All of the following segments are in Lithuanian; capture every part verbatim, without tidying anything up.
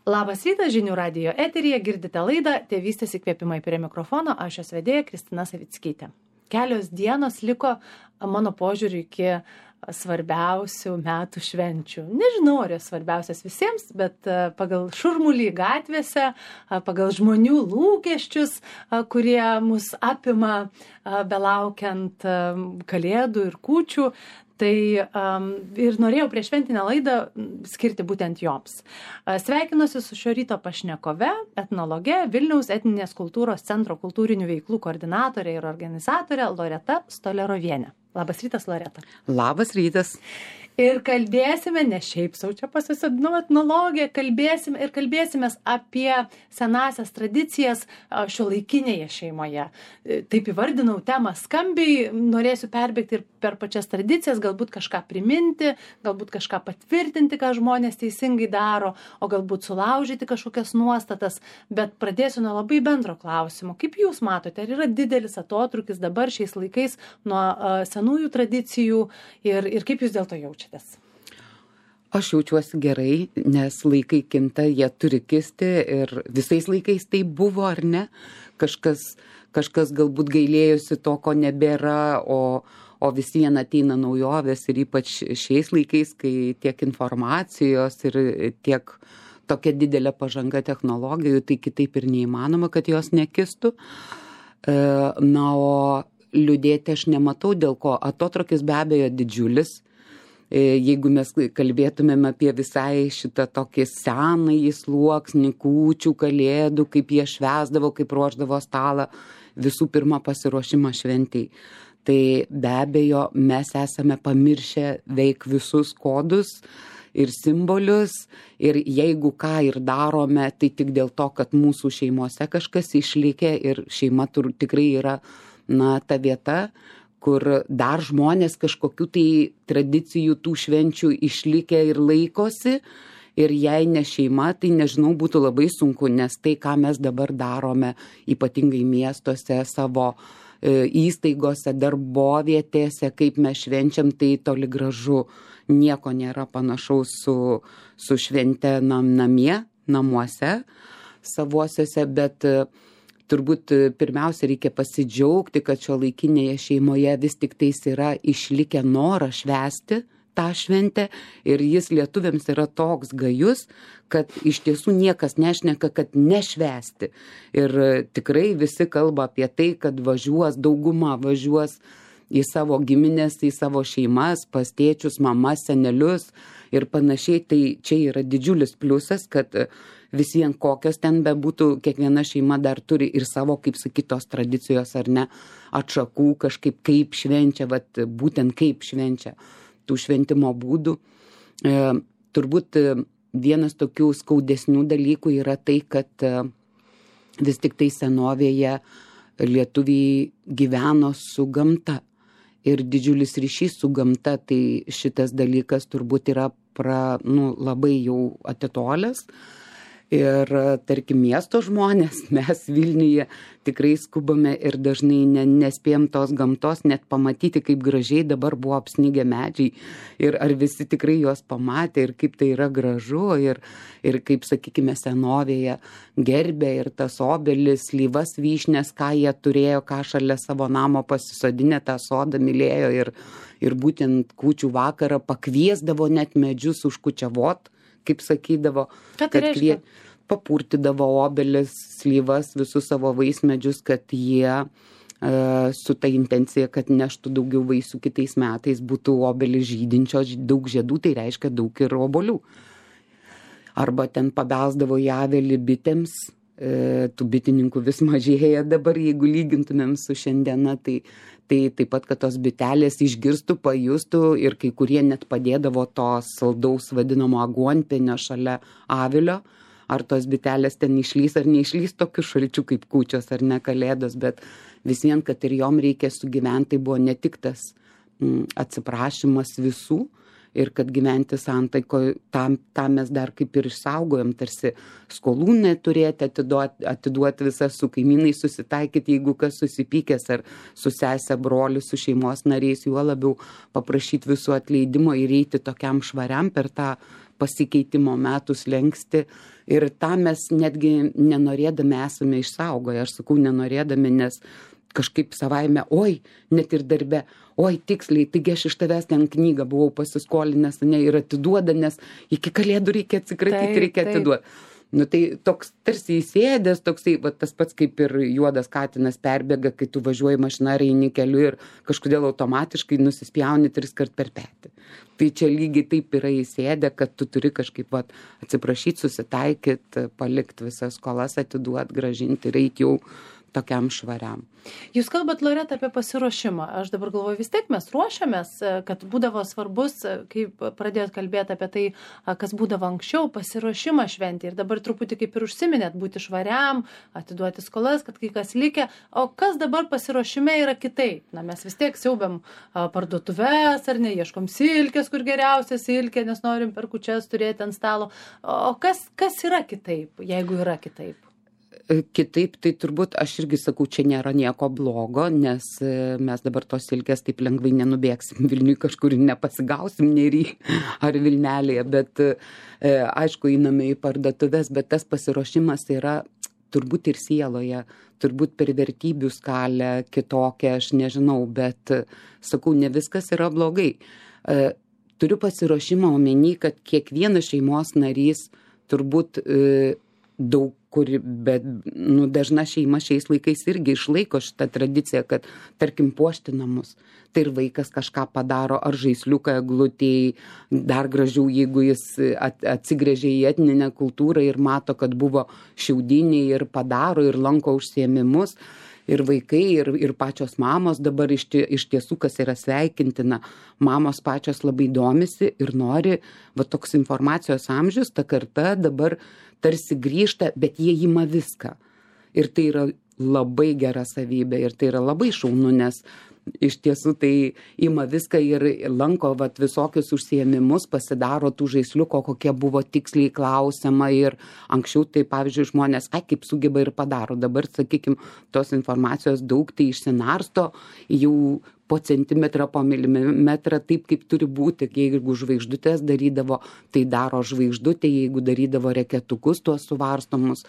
Labas rytas, žinių radijo eteryje, girdite laidą Tėvystės įkvėpimai, prie mikrofono, aš jos vedėja Kristina Savickytė. Kelios dienos liko mano požiūriu iki svarbiausių metų švenčių. Nežinau, ar jos svarbiausias visiems, bet pagal šurmulį gatvėse, pagal žmonių lūkesčius, kurie mus apima belaukiant kalėdų ir kūčių, tai um, ir norėjau prieš šventinę laidą skirti būtent joms. Sveikinuosi su šio ryto pašnekove, etnologe, Vilniaus etninės kultūros centro kultūrinių veiklų koordinatorė ir organizatorė Loreta Stolerovienė. Labas rytas, Loreta. Labas rytas. Ir kalbėsime, ne šiaip sau čia pasisodinau etnologiją, kalbėsime ir kalbėsime apie senasias tradicijas šiuolaikinėje šeimoje. Taip įvardinau temą skambiai, norėsiu perbėgti ir per pačias tradicijas, galbūt kažką priminti, galbūt kažką patvirtinti, ką žmonės teisingai daro, o galbūt sulaužyti kažkokias nuostatas, bet pradėsiu nuo labai bendro klausimo. Kaip jūs matote, ar yra didelis atotrūkis dabar šiais laikais nuo uh, senųjų tradicijų ir, ir kaip jūs dėl to jaučiate? Aš jaučiuosi gerai, nes laikai kinta, jie turi kisti ir visais laikais tai buvo, ar ne? Kažkas, kažkas galbūt gailėjusi to, ko nebėra, o, o vis vien ateina naujovės ir ypač šiais laikais, kai tiek informacijos ir tiek tokia didelė pažanga technologijų, tai kitaip ir neįmanoma, kad jos nekistų. Na, o liūdėti aš nematau, dėl ko atotrūkis be abejo didžiulis. Jeigu mes kalbėtumėm apie visai šitą tokį senąjį sluoksnį, kūčių, kalėdų, kaip jie švęsdavo, kaip ruošdavo stalą, visų pirma pasiruošimą šventei. Tai be abejo mes esame pamiršę veik visus kodus ir simbolius ir jeigu ką ir darome, tai tik dėl to, kad mūsų šeimose kažkas išlikė ir šeima tur, tikrai yra na, ta vieta, kur dar žmonės kažkokių tai tradicijų tų švenčių išlikę ir laikosi. Ir jei ne šeima, tai nežinau, būtų labai sunku, nes tai, ką mes dabar darome, ypatingai miestuose, savo e, įstaigose, darbovietėse, kaip mes švenčiam, tai toli gražu nieko nėra panašaus su, su švente nam, namie, namuose, savuosiuose, bet turbūt pirmiausia reikia pasidžiaugti, kad šiuolaikinėje šeimoje vis tik tais yra išlikę norą švęsti tą šventę ir jis lietuviams yra toks gajus, kad iš tiesų niekas nešneka, kad nešvęsti. Ir tikrai visi kalba apie tai, kad važiuos, dauguma važiuos į savo giminės, į savo šeimas, pas tėčius, mamas, senelius ir panašiai. Tai čia yra didžiulis pliusas, kad vis vien kokios ten bebūtų, kiekviena šeima dar turi ir savo, kaip sakytos, tradicijos ar ne, atšakų kažkaip kaip švenčia, vat, būtent kaip švenčia tų šventimo būdų. E, turbūt vienas tokių skaudesnių dalykų yra tai, kad e, vis tik tai senovėje lietuviai gyveno su gamta ir didžiulis ryšys su gamta, tai šitas dalykas turbūt yra pra, nu, labai jau atitolęs. Ir tarkim miesto žmonės, mes Vilniuje tikrai skubame ir dažnai ne, nespėjom tos gamtos net pamatyti, kaip gražiai dabar buvo apsnigę medžiai ir ar visi tikrai juos pamatė ir kaip tai yra gražu ir, ir kaip, sakykime, senovėje gerbė ir tas obelis, slyvas, vyšnes, ką jie turėjo, ką šalia savo namo pasisodinę tą sodą mylėjo ir, ir būtent kūčių vakarą pakviesdavo net medžius užkučiavot, kaip sakydavo, kad kvie, papurtydavo obelis, slyvas, visus savo vaismedžius, kad jie e, su ta intencija, kad neštų daugiau vaisių kitais metais, būtų obelis žydinčios, daug žiedų, tai reiškia daug ir obuolių. Arba ten pabelsdavo į avelį bitėms, e, tų bitininkų vis mažėja dabar, jeigu lygintumėm su šiandiena, tai Tai taip pat, kad tos bitelės išgirstų, pajustų ir kai kurie net padėdavo to saldaus vadinamo aguonpienio šalia avilio. Ar tos bitelės ten išlys ar neišlys tokiu šalčiu kaip kūčios ar ne kalėdos, bet vis vien, kad ir jom reikia sugyventi, tai buvo ne tik tas mm, atsiprašymas visų ir kad gyventi santaiko, tam, tam mes dar kaip ir išsaugojom, tarsi skolų neturėti, atiduoti, atiduoti visas su kaimynai susitaikyti, jeigu kas susipykęs ar su sese, broliu, su šeimos nariais, juo labiau paprašyti visų atleidimo ir eiti tokiam švariam per tą pasikeitimo metų slenksti Ir tą mes netgi nenorėdami esame išsaugoję. Aš sakau, nenorėdami, nes kažkaip savaime, oi, net ir darbe, oi, tiksliai, taigi aš iš tavęs ten knygą buvau pasiskolinęs, ne, ir atiduoda, nes iki kalėdų reikia atsikratyti, taip, reikia atiduoti. Nu tai toks tarsi įsėdęs, toksai, va, tas pats kaip ir juodas katinas perbėga, kai tu važiuoji mašiną ar eini keliu ir kažkodėl automatiškai nusispjauni tris kart per petį. Tai čia lygiai taip yra įsėdę, kad tu turi kažkaip va, atsiprašyti, susitaikyti, palikti visas skolas, atiduoti, gražinti ir eiti jau tokiam švariam. Jūs kalbat, Loreta, apie pasiruošimą. Aš dabar galvoju, vis tiek mes ruošiamės, kad būdavo svarbus, kai pradėjot kalbėti apie tai, kas būdavo anksčiau, pasiruošimą šventį. Ir dabar truputį kaip ir užsiminėt, būti švariam, atiduoti skolas, kad kai kas likę. O kas dabar pasiruošime yra kitaip? Na, mes vis tiek siaubiam parduotuves, ar ne, ieškom silkės, kur geriausia silkė, nes norim per kūčias turėti ant stalo. O kas, kas yra kitaip, jeigu yra kitaip? Kitaip, tai turbūt aš irgi sakau, čia nėra nieko blogo, nes mes dabar tos silkės taip lengvai nenubėgsim Vilniui kažkur nepasigausim Nery ar Vilnelėje, bet aišku, einame į parduotuves, bet tas pasiruošimas yra turbūt ir sieloje, turbūt per vertybių skalę kitokią, aš nežinau, bet sakau, ne viskas yra blogai. Turiu pasiruošimą omeny, kad kiekvienas šeimos narys turbūt daug kur, bet nu, dažna šeima šiais laikais irgi išlaiko šitą tradiciją, kad, tarkim, puošti namus. Tai ir vaikas kažką padaro, ar žaisliuką eglutėj, dar gražiau, jeigu jis atsigręžia į etninę kultūrą ir mato, kad buvo šiaudiniai ir padaro ir lanko užsiėmimus. Ir vaikai, ir, ir pačios mamos dabar iš, tie, iš tiesų, kas yra sveikintina, mamos pačios labai domisi ir nori, va toks informacijos amžius, ta karta dabar tarsi grįžta, bet jie ima viską. Ir tai yra labai gera savybė ir tai yra labai šaunu, nes iš tiesų tai ima viską ir lanko vat, visokius užsiėmimus, pasidaro tų žaisliuko, kokie buvo tiksliai klausiama ir anksčiau tai, pavyzdžiui, žmonės, ai, kaip sugeba ir padaro. Dabar, sakykime, tos informacijos daug tai išsinarsto jau po centimetrą, po milimetrą, taip kaip turi būti. Jeigu žvaigždutės darydavo, tai daro žvaigždutė, jeigu darydavo reketukus, tuos suvarstomus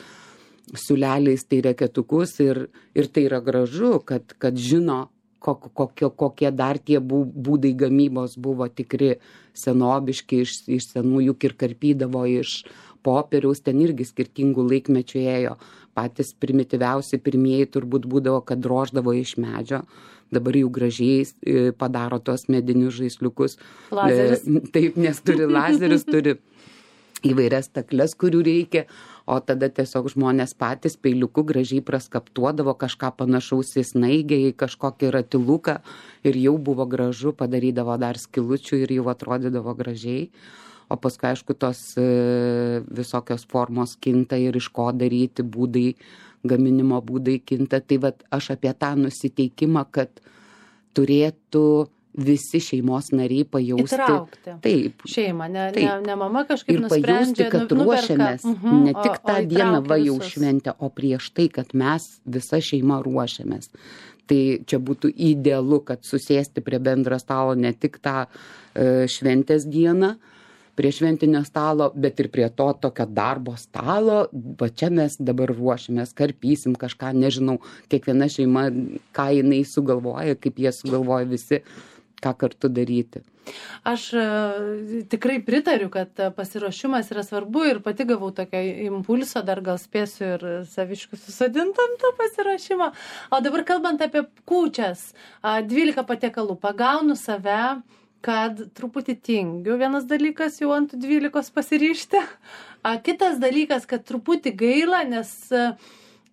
siūleliais, tai reketukus ir, ir tai yra gražu, kad, kad žino, Kokie, kokie dar tie būdai gamybos buvo tikri senobiški, iš, iš senų juk ir karpydavo iš popieriaus, ten irgi skirtingų laikmečių ėjo. Patys primityviausi pirmieji turbūt būdavo, kad droždavo iš medžio, dabar jau gražiai padaro tos medinius žaisliukus. Lazeris. Taip, nes turi lazerius, turi įvairias stakles, kurių reikia, o tada tiesiog žmonės patys peiliuku gražiai praskaptuodavo kažką panašaus į snaigę, į kažkokį ratiluką ir jau buvo gražu, padarydavo dar skilučių ir jau atrodydavo gražiai. O paskui, aišku, tos e, visokios formos kinta ir iš ko daryti būdai, gaminimo būdai kinta. Tai vat aš apie tą nusiteikimą, kad turėtų visi šeimos nariai pajausti. Įtraukti. Taip. Šeimą, ne, taip. ne, ne mama kažkaip ir nusprendžia. Ir pajausti, kad nu, ruošiamės, uh-huh, ne tik o, tą o dieną va jau visus. šventę, o prieš tai, kad mes visa šeima ruošiamės. Tai čia būtų idealu, kad susėsti prie bendro stalo ne tik tą e, šventės dieną, prie šventinio stalo, bet ir prie to tokio darbo stalo. Va čia mes dabar ruošiamės, karpysim kažką, nežinau, kiekviena šeima, ką jinai sugalvoja, kaip jie sugalvoja visi, ką kartu daryti. Aš tikrai pritariu, kad pasiruošimas yra svarbu ir pati gavau tokio impulso, dar gal spėsiu ir saviškių susadinti ant to pasiruošimo. O dabar kalbant apie kūčias, dvylika patiekalų, pagaunu save, kad truputį tingiu, vienas dalykas jau ant dvylikos pasiryžti, kitas dalykas, kad truputį gaila, nes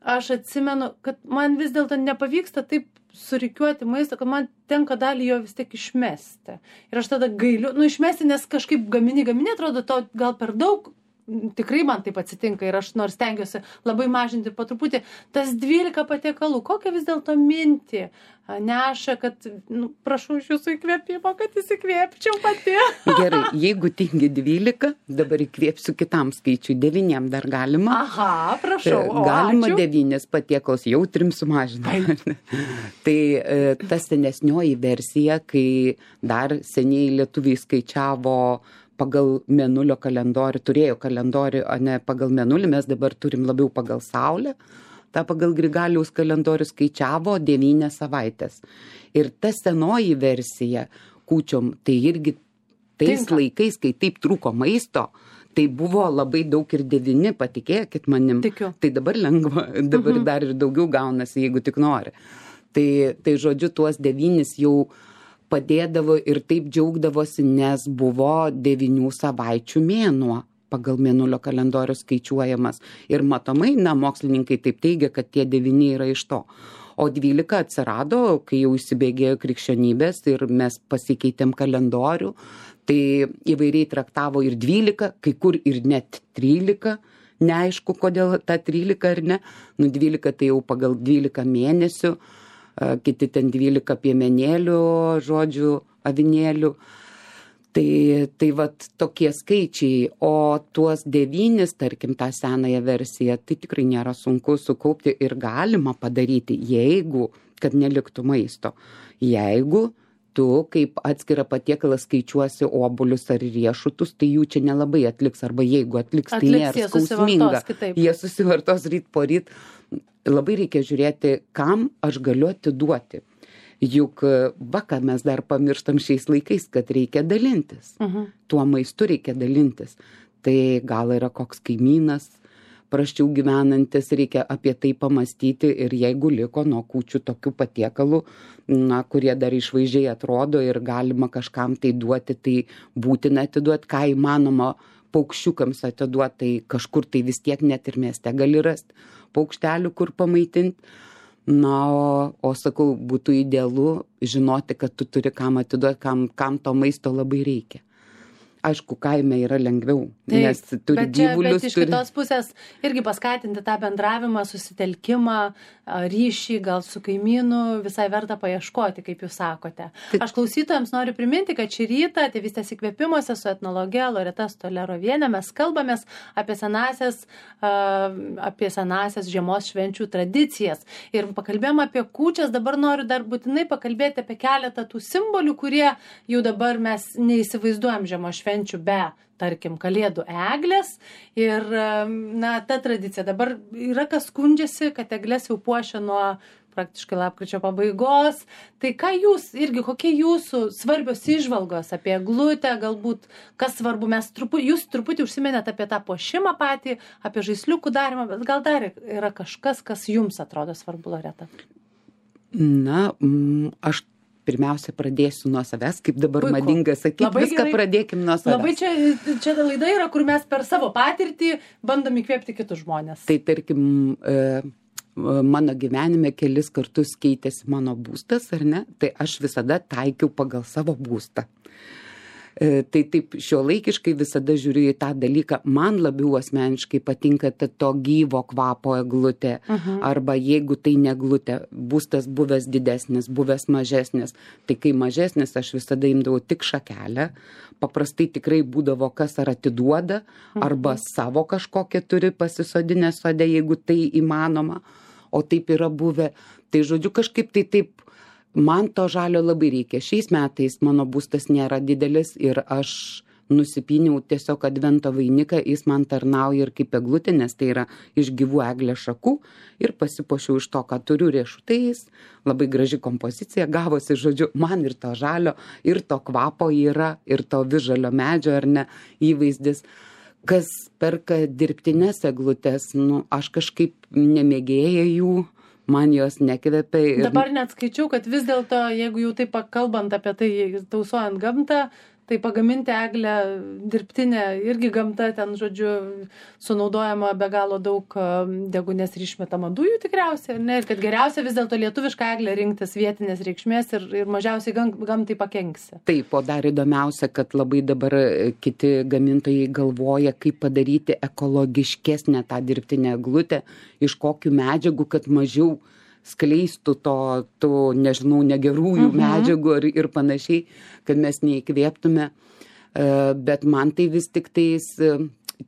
aš atsimenu, kad man vis dėlto nepavyksta taip surikiuoti maisto, kad man tenka dalį jo vis tiek išmesti. Ir aš tada gailiu, nu išmesti, nes kažkaip gamini, gamini, atrodo, to gal per daug, tikrai man taip atsitinka ir aš nors stengiuosi labai mažinti po truputį. Tas dvylika patiekalų, kokią vis dėlto mintį neša, kad, nu, prašau iš jūsų įkvėpimo, kad įsikvėpčiau pati. Gerai, jeigu tingi dvylika, dabar įkvėpsiu kitam skaičiui, devyniem dar galima. Aha, prašau, o galima ačiū. Devynis patiekals, jau trim sumažinau. Tai ta senesnioji versija, kai dar seniai lietuviai skaičiavo pagal mėnulio kalendorių, turėjo kalendorių, o ne pagal mėnulį, mes dabar turim labiau pagal Saulę. Ta pagal Grigaliaus kalendorių skaičiavo devynias savaitės. Ir ta senoji versija kūčiom, tai irgi tais Tinka. Laikais, kai taip trūko maisto, tai buvo labai daug ir devyni, patikėkit manim. Tikiu. Tai dabar lengva, dabar mhm. dar ir daugiau gaunasi, jeigu tik nori. Tai, tai žodžiu, tuos devynis jau padėdavo ir taip džiaugdavosi, nes buvo devynių savaičių mėnuo pagal mėnulio kalendorių skaičiuojamas. Ir matomai, na, mokslininkai taip teigia, kad tie devyni yra iš to. O dvylika atsirado, kai jau įsibėgėjo krikščionybės ir mes pasikeitėm kalendorių, tai įvairiai traktavo ir dvylika, kai kur ir net trylika, neaišku, kodėl ta trylika ar ne. Nu, dvylika tai jau pagal dvylika mėnesių, kiti ten dvylika piemenėlių, žodžių, avinėlių. Tai, tai vat tokie skaičiai, o tuos devynis, tarkim, tą senąją versiją, tai tikrai nėra sunku sukaupti ir galima padaryti, jeigu, kad neliktų maisto. Jeigu tu kaip atskirą patiekalą skaičiuosi obuolius ar riešutus, tai jų čia nelabai atliks, arba jeigu atliks, tai atliks, nėra skausminga. Jie susivartos ryt po ryt. Labai reikia žiūrėti, kam aš galiu atiduoti. Juk va, ką mes dar pamirštam šiais laikais, kad reikia dalintis. Uh-huh. Tuo maistu reikia dalintis. Tai gal yra koks kaimynas, prasčiau gyvenantis, reikia apie tai pamastyti ir jeigu liko nuo kūčių tokių patiekalų, na, kurie dar išvaizdžiai atrodo ir galima kažkam tai duoti, tai būtina atiduoti, ką įmanoma paukščiukams atiduoti, tai kažkur tai vis tiek net ir mieste gali rasti paukštelių, kur pamaitinti. Na, o, o sakau, būtų idealu žinoti, kad tu turi kam atiduoti, kam, kam to maisto labai reikia. Aišku, kaime yra lengviau, taip, nes turi bet čia, gyvulius. Bet iš turi... kitos pusės irgi paskatinti tą bendravimą, susitelkimą, ryšį, gal su kaimynu, visai verta paieškoti, kaip jūs sakote. Taip. Aš klausytojams noriu priminti, kad šį rytą Tėvystės įkvėpimuose su etnologe Loreta Stoleroviene mes kalbamės apie senasias, apie senasias žiemos švenčių tradicijas. Ir pakalbėjom apie kūčias, dabar noriu dar būtinai pakalbėti apie keletą tų simbolių, kurie jau dabar mes neįsivaizduojam žiemos švenčių be, tarkim, kalėdų eglės ir, na, ta tradicija. Dabar yra kas skundžiasi, kad eglės jau puošia nuo praktiškai lapkričio pabaigos. Tai ką jūs, irgi kokie jūsų svarbios įžvalgos apie eglutę, galbūt kas svarbu, mes truputį, jūs truputį užsiminėt apie tą puošimą patį, apie žaisliukų darymą, bet gal dar yra kažkas, kas jums atrodo svarbu, Loreta? Na, aš pirmiausia pradėsiu nuo savęs, kaip dabar Puiku. Madinga sakyti, Labai viską gerai. Pradėkim nuo savęs. Labai čia, čia laida yra, kur mes per savo patirtį bandom įkvėpti kitus žmonės. Tai tarkim, mano gyvenime kelis kartus keitėsi mano būstas, ar ne? Tai aš visada taikiau pagal savo būstą. Tai taip šiuolaikiškai visada žiūriu į tą dalyką. Man labiau asmeniškai patinka to gyvo kvapo eglutė. Uh-huh. Arba jeigu tai ne eglutė, būstas buvęs didesnis, buvęs mažesnis. Tai kai mažesnis, aš visada imdavau tik šakelę. Paprastai tikrai būdavo kas ar atiduoda, uh-huh. arba savo kažkokią turi pasisodinę sode, jeigu tai įmanoma. O taip yra buvę. Tai žodžiu, kažkaip tai taip. Man to žalio labai reikia. Šiais metais mano būstas nėra didelis ir aš nusipyniau tiesiog advento vainiką, jis man tarnauja ir kaip eglutė, nes tai yra iš gyvų eglės šakų ir pasipuošiau iš to, ką turiu riešutais. Labai graži kompozicija gavosi, žodžiu, man ir to žalio, ir to kvapo yra, ir to visžalio medžio, ar ne, įvaizdis. Kas perka dirbtines eglutės, nu, aš kažkaip nemėgėja jų. Man jos nekvepia. Ir... Dabar net skaičiau, kad vis dėlto, jeigu jau taip kalbant apie tai, tausojant gamtą, tai pagaminti eglę dirbtinę, irgi gamta ten, žodžiu, sunaudojama be galo daug degunės ir išmetama dujų tikriausiai, ne? Ir kad geriausia vis dėlto lietuvišką eglę rinktis vietinės reikšmės ir, ir mažiausiai gam, gamtai pakenksi. Taip, o dar įdomiausia, kad labai dabar kiti gamintojai galvoja, kaip padaryti ekologiškesnę tą dirbtinę eglutę, iš kokių medžiagų, kad mažiau skleistų to, to nežinau, negerųjų uh-huh. medžiagų ir, ir panašiai, kad mes neįkvėptume. Bet man tai vis tik tais,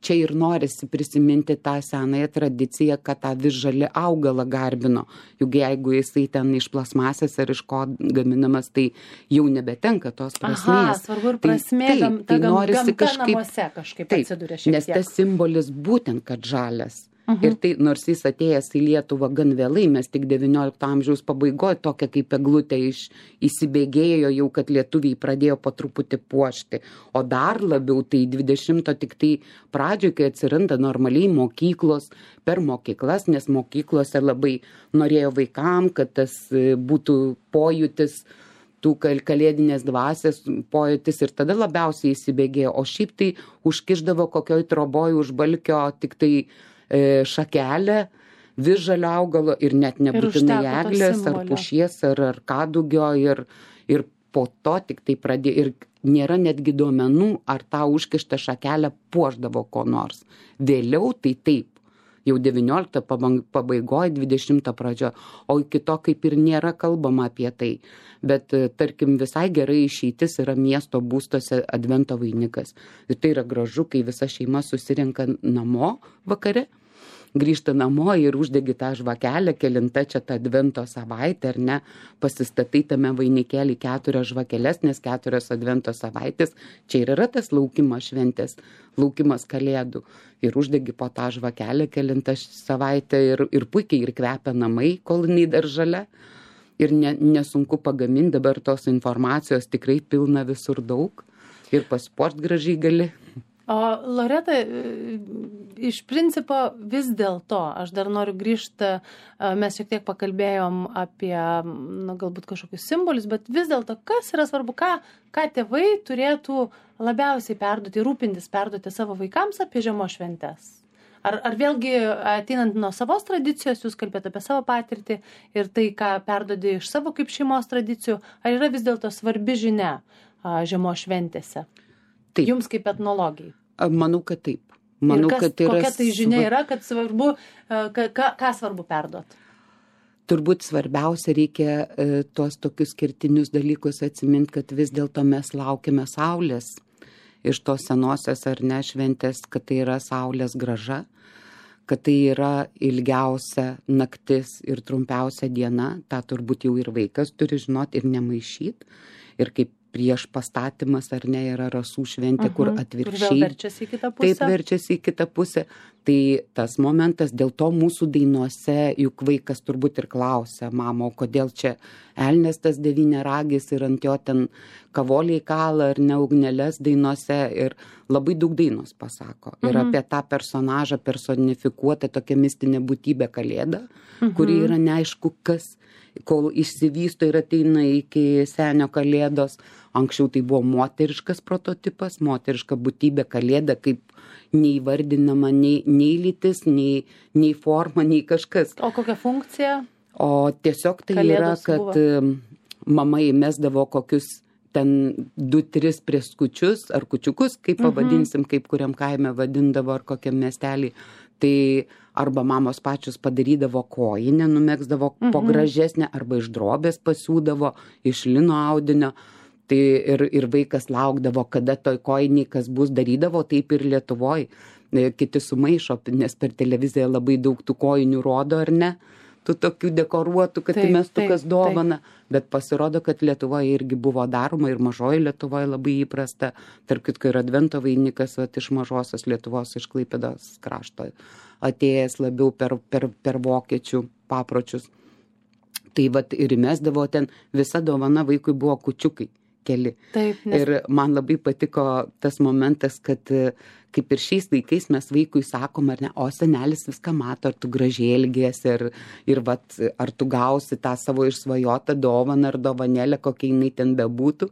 čia ir norisi prisiminti tą senąją tradiciją, kad tą visžalį augalą garbino. Juk jeigu jisai ten iš plasmasės ar iš ko gaminamas, tai jau nebetenka tos prasmės. Aha, svarbu ir prasmė, tai, gam, tai gam, norisi gamta kažkaip, namuose kažkaip taip, atsiduria šiek tiek. nes tas simbolis būtent, kad žalias. Uh-huh. Ir tai, nors jis atėjęs į Lietuvą gan vėlai, mes tik devyniolikto amžiaus pabaigoje tokia kaip eglutė iš, įsibėgėjo jau, kad lietuviai pradėjo po truputį puošti. O dar labiau tai dvidešimto tik tai pradžioje, kai atsiranda normaliai mokyklos, per mokyklas, nes mokyklose labai norėjo vaikam, kad tas būtų pojūtis, tų kalėdinės dvasės pojūtis ir tada labiausiai įsibėgėjo. O šiaip tai užkišdavo kokioj troboj už balkio tik tai šakelę visžalio augalo ir net nebūtinai eglės ar pušies ar, ar kadugio ir, ir po to tik tai pradėjo ir nėra netgi duomenų, ar tą užkištą šakelę puošdavo ko nors. Vėliau tai taip, jau devyniolikto pabaigoje, dvidešimto pradžio, o iki to kaip ir nėra kalbama apie tai. Bet tarkim visai gerai išeitis yra miesto būstuose advento vainikas. Ir tai yra gražu, kai visa šeima susirenka namo vakare, grįžta namo ir uždegi tą žvakelę, kelinta čia tą advento savaitę, ar ne, pasistatai tame vainikėlį keturias žvakeles, nes keturios advento savaitės, čia ir yra tas laukimas šventės, laukimas kalėdų. Ir uždegi po tą žvakelę kelintą savaitę ir, ir puikiai ir kvepia namai, kol jinai dar žalia. Ir ne, nesunku pagaminti, dabar tos informacijos tikrai pilna visur daug ir pasipuošt gražiai gali. O Loreta, iš principo vis dėlto, aš dar noriu grįžti, mes šiek tiek pakalbėjom apie, na, galbūt kažkokius simbolius, bet vis dėlto, kas yra svarbu, ką, ką tėvai turėtų labiausiai perduoti, rūpintis perduoti savo vaikams apie žiemos šventes? Ar, ar vėlgi ateinant nuo savos tradicijos, jūs kalbėt apie savo patirtį ir tai, ką perdodi iš savo kaip šeimos tradicijų, ar yra vis dėlto svarbi žinia žiemos šventėse? Taip. Jums kaip etnologijai? Manau, kad taip. Manau, ir kas, kad yra kokia tai žinia yra, kad svarbu, ką, ką svarbu perduot? Turbūt svarbiausia reikia e, tuos tokius skirtinius dalykus atsiminti, kad vis dėlto mes laukime saulės iš tos senosios ar ne šventės, kad tai yra saulės graža, kad tai yra ilgiausia naktis ir trumpiausia diena, tą turbūt jau ir vaikas turi žinoti ir nemaišyti. Ir kaip prieš pastatymas ar ne yra rasų šventė, uh-huh. kur atvirkščiai. Kur vėl verčiasi į kitą pusę. Taip verčiasi į kitą pusę. Tai tas momentas, dėl to mūsų dainuose, juk vaikas turbūt ir klausia, mamo, kodėl čia elnias tas devyniaragis ir ant jo ten kavoliai kala ar ne ugnelės dainuose ir labai daug dainos pasako. Ir uh-huh. apie tą personažą personifikuotą tokią mistinę būtybę kalėdą, uh-huh. kuri yra neaišku kas, kol išsivysto ir ateina iki senio kalėdos. Anksčiau tai buvo moteriškas prototipas, moteriška būtybė kalėda, kaip neįvardinama nei, nei lytis, nei, nei forma, nei kažkas. O kokia funkcija? O tiesiog tai kalėdos yra, kad buvo? Mama įmesdavo kokius ten du, tris prieskučius ar kučiukus, kaip pavadinsim, mhm. kaip kuriam kaime vadindavo ar kokiam miestelį. Tai arba mamos pačios padarydavo kojinę, numegzdavo mhm. po gražesnę, arba iš drobės pasiūdavo, iš lino audinio. Tai ir, ir vaikas laukdavo, kada toj kojiniai kas bus darydavo, taip ir Lietuvoj. Kiti sumaišo, nes per televiziją labai daug tų kojinių rodo, ar ne? Tų tokių dekoruotų, kad įmestukas dovana. Taip. Bet pasirodo, kad Lietuvoje irgi buvo daroma ir mažoji Lietuvoje labai įprasta. Tarp kitko ir advento vainikas vat, iš mažosios Lietuvos, iš Klaipėdos krašto, atėjęs labiau per, per, per vokiečių papročius. Tai vat ir įmesdavo ten, visa dovana vaikui buvo kučiukai. Keli. Taip, nes... Ir man labai patiko tas momentas, kad kaip ir šiais laikais mes vaikui sakom, ar ne, o senelis viską mato, ar tu gražiai elgiesi, ir, ir vat, ar tu gausi tą savo išsvajotą dovaną ar dovanėlę, kokia jinai ten bebūtų.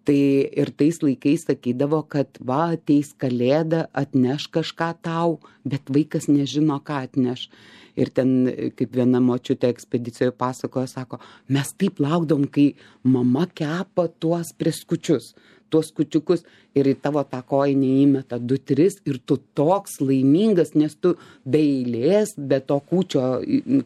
Tai ir tais laikais sakydavo, kad va, ateis kalėda, atneš kažką tau, bet vaikas nežino, ką atneš. Ir ten, kaip viena močiutė ekspedicijoje pasakojo, sako, mes taip laukdom, kai mama kepa tuos prieskučius, tuos kučiukus ir į tavo tą kojinę įmeta du, tris ir tu toks laimingas, nes tu be eilės, be to kūčio,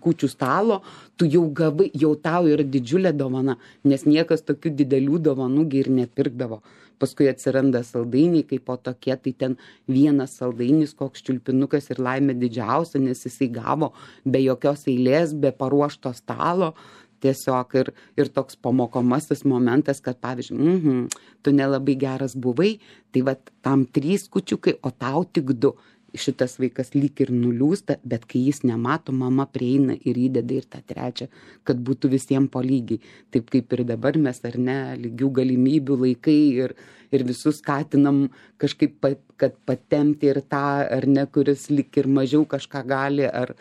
kūčių stalo, tu jau gavai, jau tau yra didžiulė dovana, nes niekas tokių didelių dovanų ir nepirkdavo. paskui atsiranda saldainiai kaip po tokie, tai ten vienas saldainis, koks čiulpinukas ir laimė didžiausia, nes jisai gavo be jokios eilės, be paruošto stalo. Tiesiog ir, ir toks pamokomasis momentas, kad pavyzdžiui, mhm, tu nelabai geras buvai, tai va tam trys kučiukai, o tau tik du. Šitas vaikas lyg ir nuliūsta, bet kai jis nemato, mama prieina ir įdeda ir tą trečią, kad būtų visiems po lygiai. Taip kaip ir dabar mes, ar ne, lygių galimybių laikai ir, ir visus skatinam kažkaip, kad patemti ir tą, ar ne, kuris lyg ir mažiau kažką gali, ar,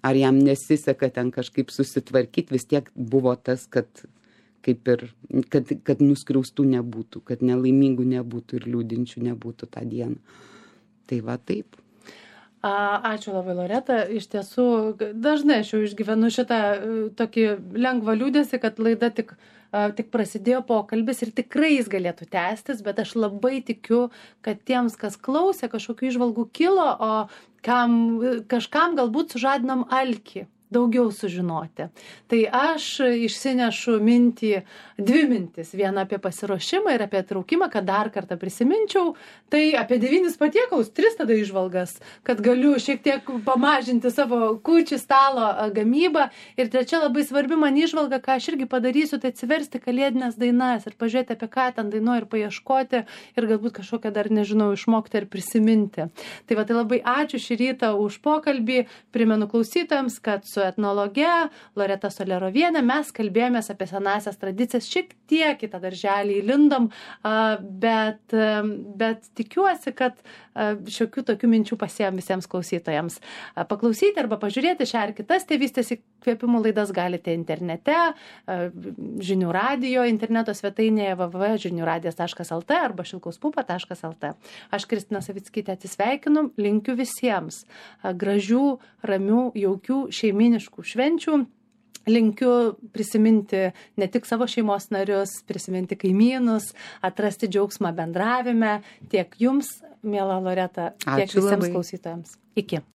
ar jam nesiseka ten kažkaip susitvarkyti, vis tiek buvo tas, kad kaip ir, kad, kad nuskriaustų nebūtų, kad nelaimingų nebūtų ir liūdinčių nebūtų tą dieną. Tai va taip. Ačiū labai, Loreta. Iš tiesų, dažnai aš jau išgyvenu šitą tokį lengvą liūdesį, kad laida tik, tik prasidėjo pokalbis ir tikrai jis galėtų tęstis, bet aš labai tikiu, kad tiems, kas klausė, kažkokių įžvalgų kilo, o kam, kažkam galbūt sužadinom alkį daugiau sužinoti. Tai aš išsinešu mintį, dvi mintis. Vieną apie pasiruošimą ir apie traukimą, kad dar kartą prisiminčiau. Tai apie devynis patiekalus, tris tada įžvalgas, kad galiu šiek tiek pamažinti savo kūčių stalo gamybą. Ir trečia labai svarbi man įžvalga, ką aš irgi padarysiu, tai atsiversti kalėdines dainas ir pažiūrėti, apie ką ten dainuoju ir paieškoti ir galbūt kažkokią dar, nežinau, išmokti ir prisiminti. Tai va, tai labai ačiū šį rytą už pokalbį. Primenu klausytojams, kad su etnologe Loreta Solerovienė mes kalbėjomės apie senąsias tradicijas, šiek tiek į tą darželį įlindom, bet, bet tikiuosi, kad šiokių tokių minčių pasėjom visiems klausytojams. Paklausyti arba pažiūrėti šią ar kitas tėvystės įkvėpimų laidas galite internete, žinių radijo interneto svetainėje w w w taškas žinių radijas taškas l t arba šilkauspupa taškas l t. Aš Kristina Savickytė atsisveikinu, linkiu visiems gražių, ramių, jaukių, šeiminiškų švenčių. Linkiu prisiminti ne tik savo šeimos narius, prisiminti kaimynus, atrasti džiaugsmą bendravime tiek jums, miela Loreta, tiek Ačiū visiems labai. Klausytojams. Iki.